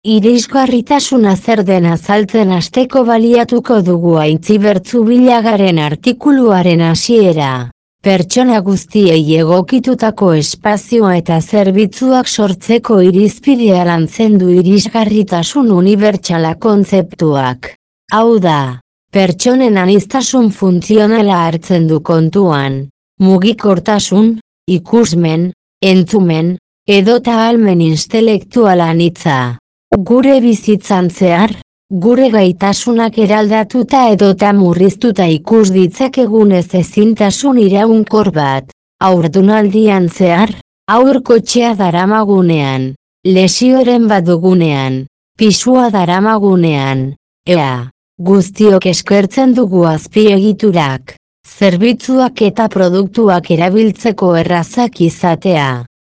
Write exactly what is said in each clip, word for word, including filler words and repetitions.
Irisgarritasuna zer den azaltzen hasteko baliatuko dugu Aintzibertzu Bilagaren artikuluaren hasiera. Pertsona guztiei egokitutako espazio eta zerbitzuak sortzeko irizpidea lantzen du irisgarritasun unibertsala kontzeptuak. Hau da, pertsonen aniztasun funtzionala hartzen du kontuan, mugikortasun, ikusmen, entzumen, edota ahalmen intelektuala anitza. Gure bizitzan zehar, gure gaitasunak eraldatuta edota murriztuta ikus ditzakegun ez ezintasun iraunkor bat. Haurdunaldian zehar, haur kotxea daramagunean, lesioren bat dugunean, pisua daramagunean, ea, guztiok eskertzen dugu azpiegiturak, zerbitzuak eta produktuak erabiltzeko errazak izatea.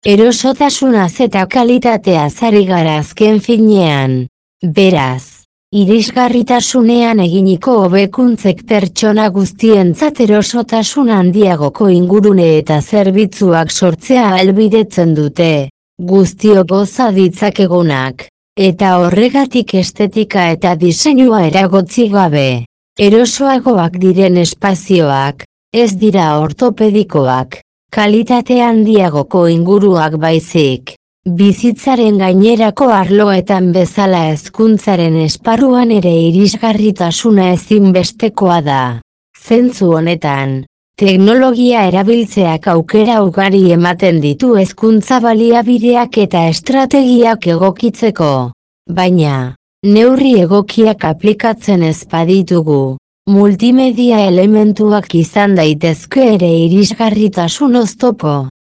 Erosotasunaz eta kalitateaz ari gara azken finean. Beraz, irisgarritasunean eginiko hobekuntzek pertsona guztientzat erosotasun handiagoko ingurune eta zerbitzuak sortzea ahalbidetzen dute, guztiok goza ditzakegunak, eta horregatik estetika eta diseinua eragotzi gabe. Erosoagoak diren espazioak, ez dira ortopedikoak. Kalitate handiagoko inguruak baizik, bizitzaren gainerako arloetan bezala hezkuntzaren esparruan ere irisgarritasuna ezinbestekoa da. Zentzu honetan, teknologia erabiltzeak aukera ugari ematen ditu hezkuntza baliabideak eta estrategiak egokitzeko, baina, neurri egokiak aplikatzen ez baditugu. Multimedia elementuak izan daitezke ere irisgarritasun oztopo.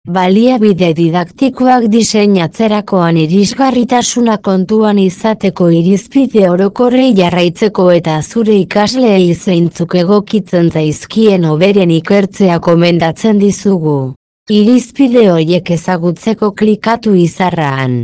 Baliabide didaktikoak diseinatzerakoan irisgarritasuna kontuan izateko irizpide orokorrei jarraitzeko eta zure ikasleei zeintzuk egokitzen zaizkien hoberen ikertzea gomendatzen dizugu. Irizpide horiek ezagutzeko klikatu izarran.